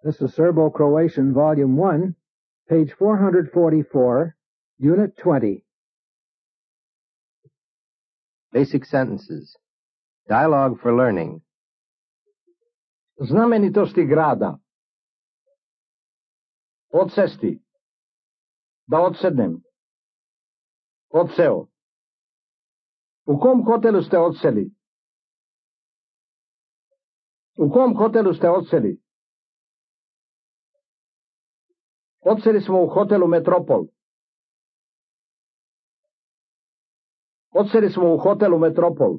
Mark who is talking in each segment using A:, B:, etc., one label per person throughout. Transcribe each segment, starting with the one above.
A: This is Serbo-Croatian, Volume 1, page 444, Unit 20.
B: Basic sentences. Dialogue for learning.
C: Znamenitosti grada. Odsesti. Da odsednem. Odseo. U kom hotelu ste odseli? U kom hotelu ste odseli? Odseli smo u hotelu Metropol. Odseli smo u hotelu Metropol.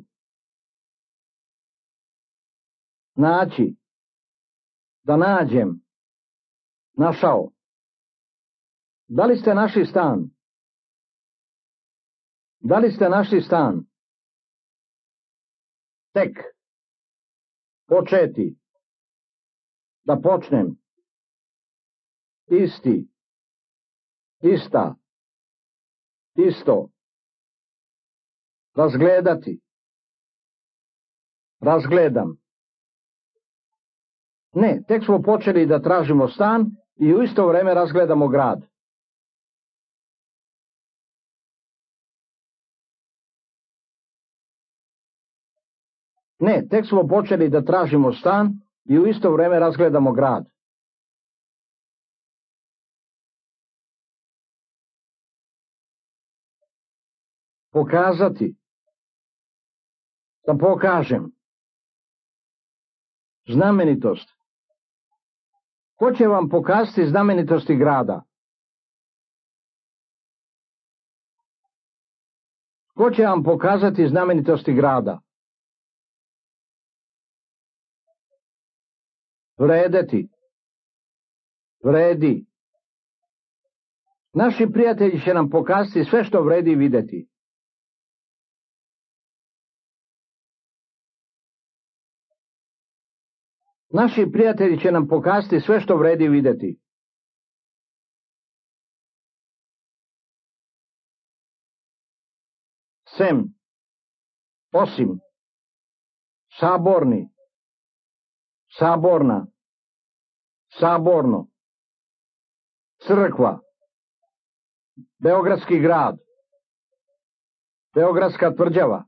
C: Naći. Da nađem. Našao. Da li ste našli stan? Da li ste našli stan? Tek. Početi. Da počnem. Isti. Ista. Isto. Razgledati. Razgledam. Ne, tek smo počeli da tražimo stan i u isto vreme razgledamo grad. Ne, tek smo počeli da tražimo stan i u isto vreme razgledamo grad. Pokazati. Da pokažem. Znamenitost. Ko će vam pokazati znamenitosti grada? Ko će vam pokazati znamenitosti grada? Vredeti. Vredi. Naši prijatelji će nam pokazati sve što vredi videti. Naši prijatelji će nam pokazati sve što vredi videti. Sem. Osim. Saborni. Saborna. Saborno. Crkva. Beogradski grad. Beogradska tvrđava.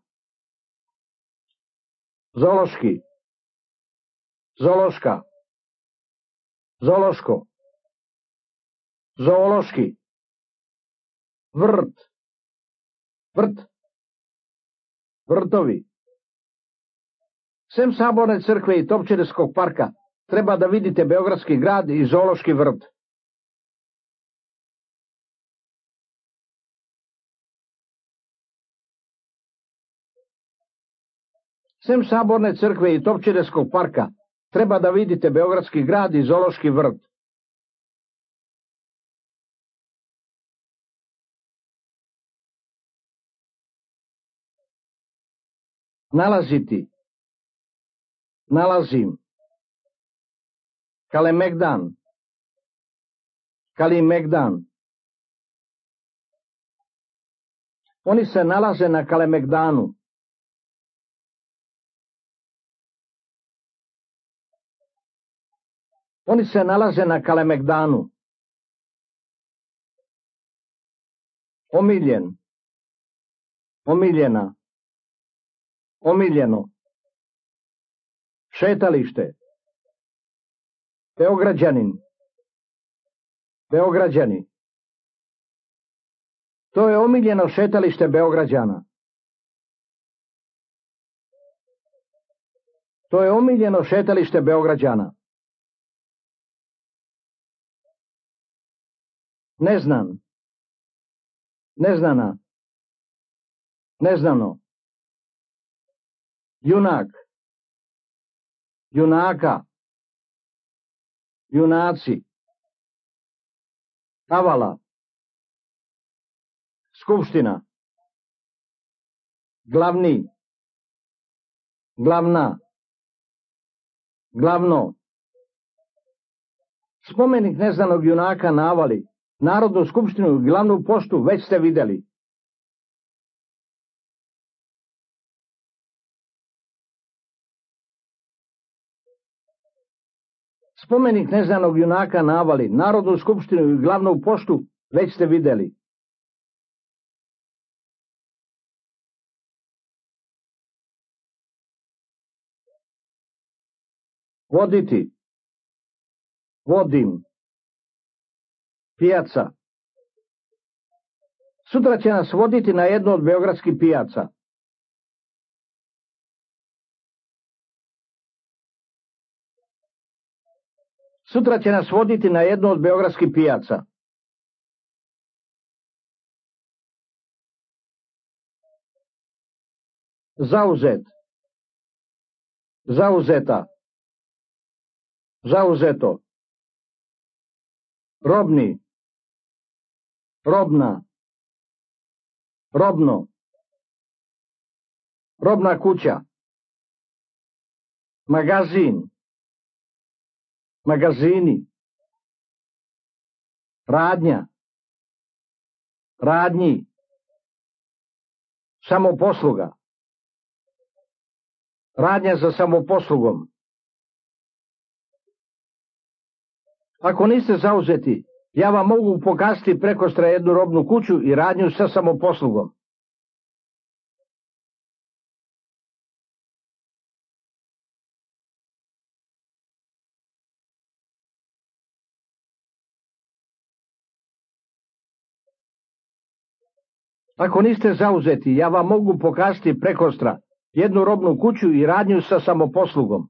C: Zološki. Zološka. Zološko. Zoološki. Vrt. Vrt. Vrtovi. Sem Saborne crkve i Topčiderskog parka treba da vidite Beogradski grad i Zoološki vrt. Sem Saborne crkve i Topčiderskog parka treba da vidite Beogradski grad i Zoološki vrt. Nalaziti. Nalazim. Kalemegdan. Kalimegdan. Oni se nalaze na Kalemegdanu. Oni se nalaze na Kalemegdanu. Omiljen. Omiljena. Omiljeno. Šetalište. Beograđanin. Beograđani. To je omiljeno šetalište Beograđana. To je omiljeno šetalište Beograđana. Neznan. Neznana. Neznano. Junak. Junaka. Junaci. Avala. Skupština. Glavni. Glavna. Glavno. Spomenik neznanog junaka na Avali, Narodnu skupštinu i glavnu poštu već ste videli. Spomenik neznanog junaka na Avali, Narodnu skupštinu i glavnu poštu već ste videli. Voditi. Vodim. Pijaca. Sutra će nas voditi na jednu od beogradskih pijaca. Sutra će nas voditi na jednu od beogradskih pijaca. Zauzet. Zauzeta. Zauzeto. Robni. Robna. Robno. Robna kuća. Magazin. Magazini. Radnja. Radnji. Samoposluga. Radnja za samoposlugom. Ako niste zauzeti, ja vam mogu pokazati prekostra jednu robnu kuću i radnju sa samoposlugom. Ako niste zauzeti, ja vam mogu pokazati prekostra jednu robnu kuću i radnju sa samoposlugom.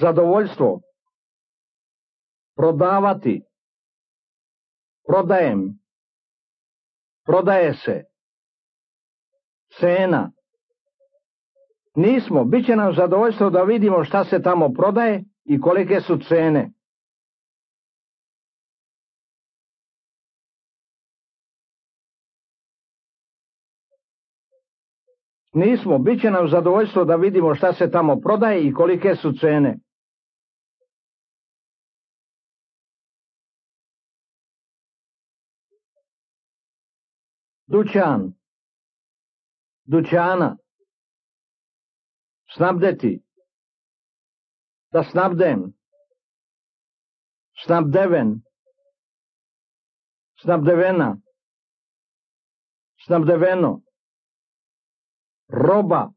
C: Zadovoljstvo. Prodavati. Prodajem. Prodaje se. Cena. Nismo, bit će nam zadovoljstvo da vidimo šta se tamo prodaje i kolike su cene. Nismo, bit će nam zadovoljstvo da vidimo šta se tamo prodaje i kolike su cene. Dućan. Dućana. Snabdeti. Da snabdem. Snabdeven. Snabdevena. Snabdeveno. Roba.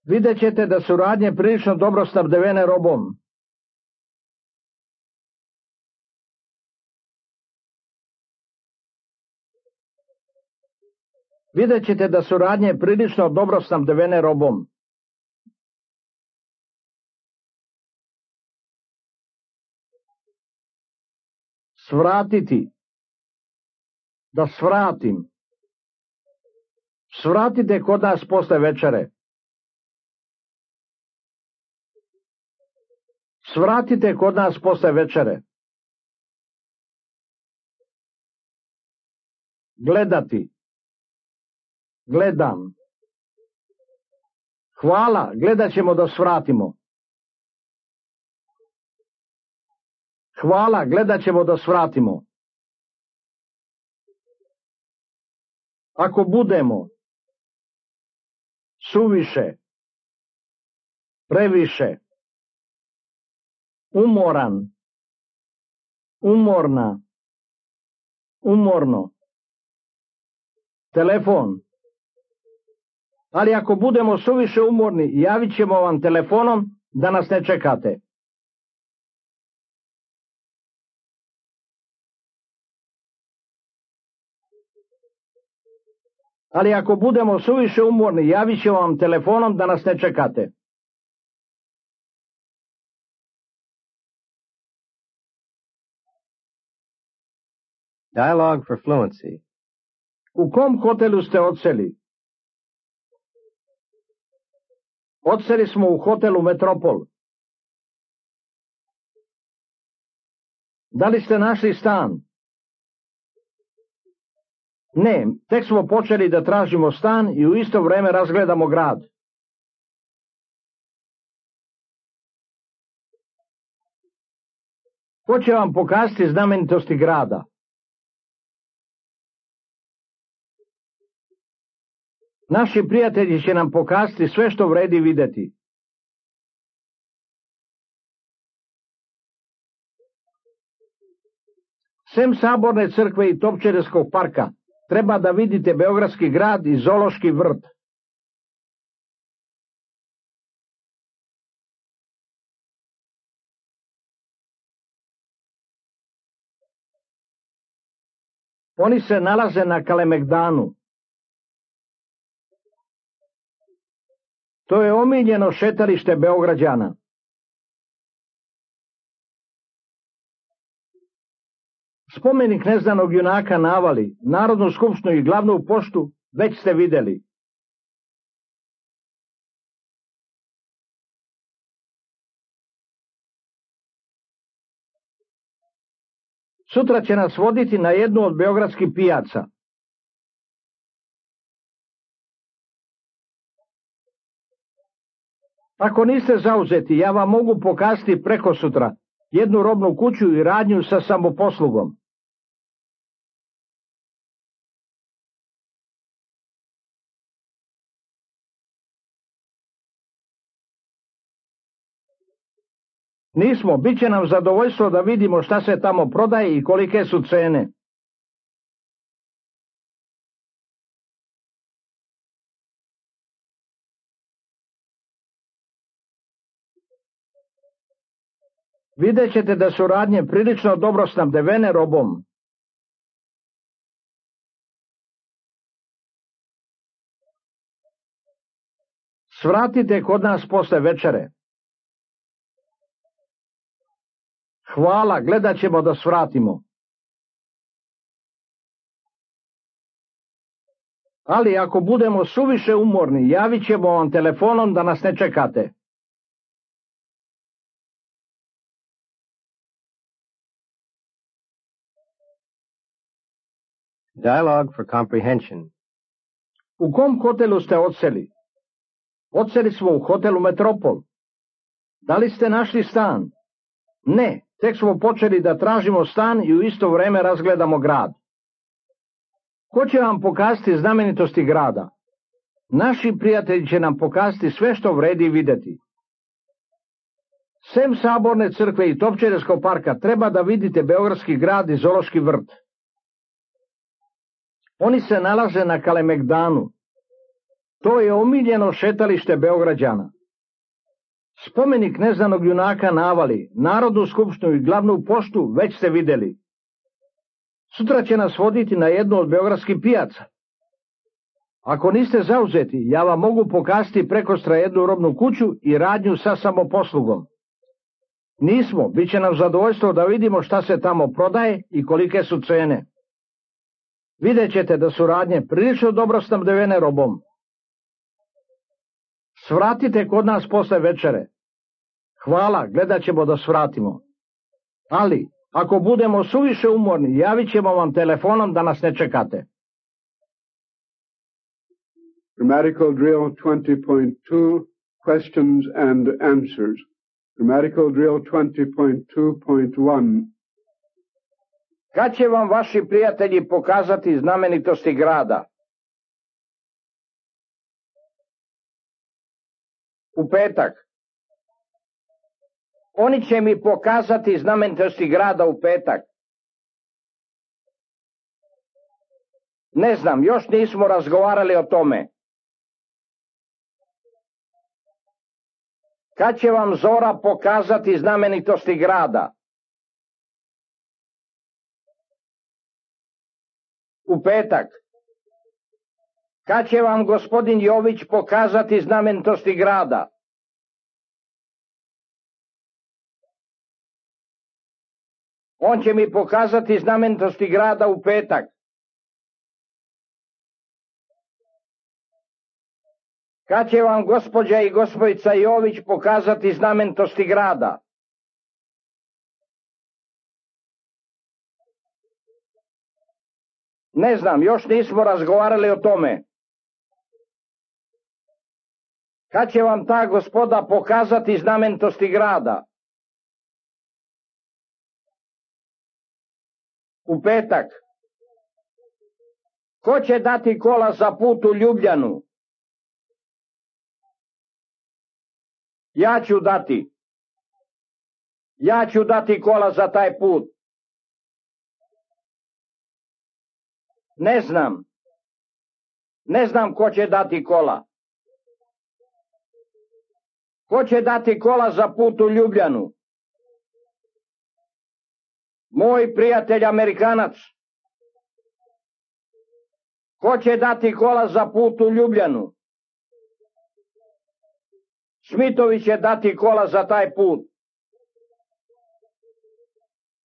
C: Vidjet ćete da su radnje prilično dobro snabdevene robom. Vidjet ćete da su radnje prilično dobro snabdevene robom. Svratiti. Da svratim. Svratite kod nas posle večere. Svratite kod nas posle večere. Gledati. Gledam. Hvala, gledat ćemo da svratimo. Hvala, gledat ćemo da svratimo. Ako budemo suviše, previše, umoran, umorna, umorno, telefon. Ali ako budemo suviše umorni, javit ćemo vam telefonom da nas ne čekate. Ali ako budemo suviše umorni, javit ćemo vam telefonom da nas ne čekate.
B: Dialogue for fluency.
C: U kom hotelu ste odseli? Odseli smo u hotelu Metropol. Da li ste našli stan? Ne, tek smo počeli da tražimo stan i u isto vreme razgledamo grad. Ko će vam pokazati znamenitosti grada? Naši prijatelji će nam pokazati sve što vredi videti. Sem Saborne crkve i Topčiderskog parka, treba da vidite Beogradski grad i Zoološki vrt. Oni se nalaze na Kalemegdanu. To je omiljeno šetalište Beograđana. Spomenik neznanog junaka na Avali, Narodnu skupštinu i glavnu poštu već ste videli. Sutra će nas voditi na jednu od beogradskih pijaca. Ako niste zauzeti, ja vam mogu pokazati preko sutra jednu robnu kuću i radnju sa samoposlugom. Nismo, bit će nam zadovoljstvo da vidimo šta se tamo prodaje i kolike su cene. Vidjet ćete da su radnje prilično dobro snabdevene robom. Svratite kod nas posle večere. Hvala, gledat ćemo da svratimo. Ali ako budemo suviše umorni, javit ćemo vam telefonom da nas ne čekate.
B: Dialogue for comprehension.
C: U kom hotelu ste odseli? Odseli smo u hotelu Metropol. Da li ste našli stan? Ne, tek smo počeli da tražimo stan i u isto vreme razgledamo grad. Ko će vam pokazati znamenitosti grada? Naši prijatelji će nam pokazati sve što vredi videti. Sem Saborne crkve i Topčiderskog parka, treba da vidite Beogradski grad i Zoološki vrt. Oni se nalaze na Kalemegdanu. To je omiljeno šetalište Beograđana. Spomenik neznanog junaka na Avali, Narodnu skupštinu i glavnu poštu već ste videli. Sutra će nas voditi na jednu od beogradskih pijaca. Ako niste zauzeti, ja vam mogu pokazati prekostra jednu robnu kuću i radnju sa samoposlugom. Nismo, bit će nam zadovoljstvo da vidimo šta se tamo prodaje i kolike su cene. Vidjet ćete da su radnje prilično dobro snabdevene robom. Svratite kod nas posle večere. Hvala, gledat ćemo da svratimo. Ali, ako budemo suviše umorni, javit ćemo vam telefonom da nas ne čekate.
D: Grammatical drill 20.2, questions and answers. Grammatical drill 20.2.1.
C: Kad će vam vaši prijatelji pokazati znamenitosti grada? U petak. Oni će mi pokazati znamenitosti grada u petak. Ne znam, još nismo razgovarali o tome. Kad će vam Zora pokazati znamenitosti grada? U petak. Kad će vam gospodin Jović pokazati znamenitosti grada? On će mi pokazati znamenitosti grada u petak. Kad će vam gospođa i gospodica Jović pokazati znamenitosti grada? Ne znam, još nismo razgovarali o tome. Kad će vam ta gospoda pokazati znamenitosti grada? U petak. Ko će dati kola za put u Ljubljanu? Ja ću dati kola za taj put. Ne znam ko će dati kola. Ko će dati kola za put u Ljubljanu? Moj prijatelj Amerikanac. Ko će dati kola za put u Ljubljanu? Smitovi će dati kola za taj put.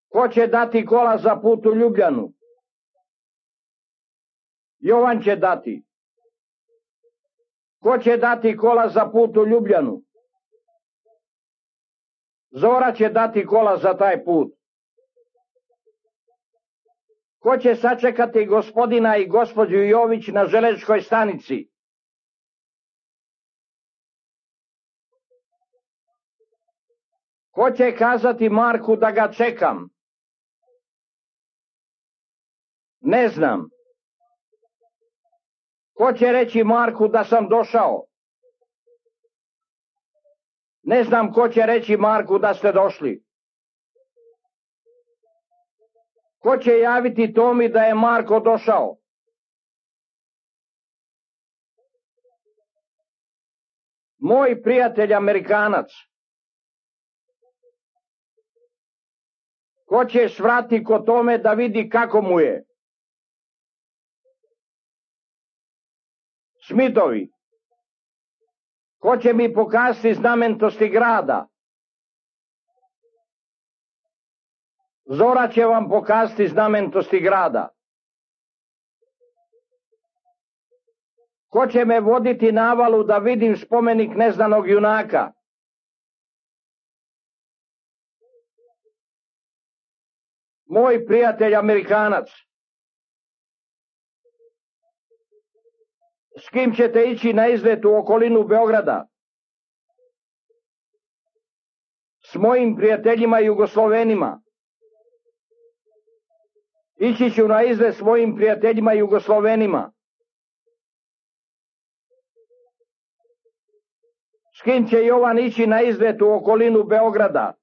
C: Ko će dati kola za put u Ljubljanu? Jovan će dati. Ko će dati kola za put u Ljubljanu? Zora će dati kola za taj put. Ko će sačekati gospodina i gospođu Jović na železničkoj stanici? Ko će kazati Marku da ga čekam? Ne znam. Ko će reći Marku da sam došao? Ne znam ko će reći Marku da ste došli. Ko će javiti Tomi da je Marko došao? Moj prijatelj Amerikanac. Ko će svrati kod Tome da vidi kako mu je? Smitovi. Ko će mi pokazati znamenitosti grada? Zora će vam pokazati znamenitosti grada. Ko će me voditi na Avalu da vidim spomenik neznanog junaka? Moj prijatelj Amerikanac. S kim ćete ići na izlet u okolinu Beograda? S mojim prijateljima Jugoslovenima. Ići ću na izlet s mojim prijateljima Jugoslovenima. S kim će Jovan ići na izlet u okolinu Beograda?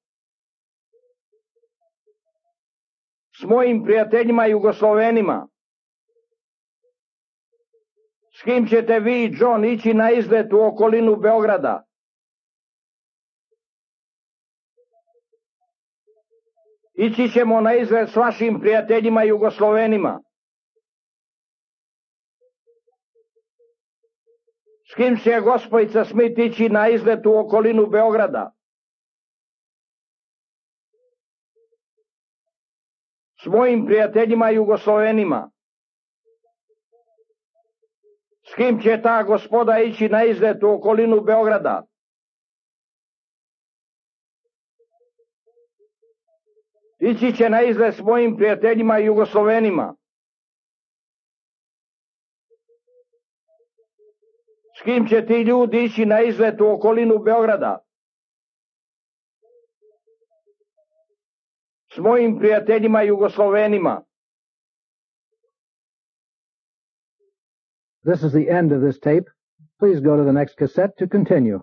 C: S mojim prijateljima Jugoslovenima. S kim ćete vi i John ići na izlet u okolinu Beograda? Ići ćemo na izlet s vašim prijateljima Jugoslovenima. S kim će gospojica Smith ići na izlet u okolinu Beograda? S mojim prijateljima Jugoslovenima. S kim će ta gospoda ići na izlet u okolinu Beograda? Ići će na izlet s mojim prijateljima Jugoslovenima. S kim će ti ljudi ići na izlet u okolinu Beograda? S mojim prijateljima Jugoslovenima.
A: This is the end of this tape. Please go to the next cassette to continue.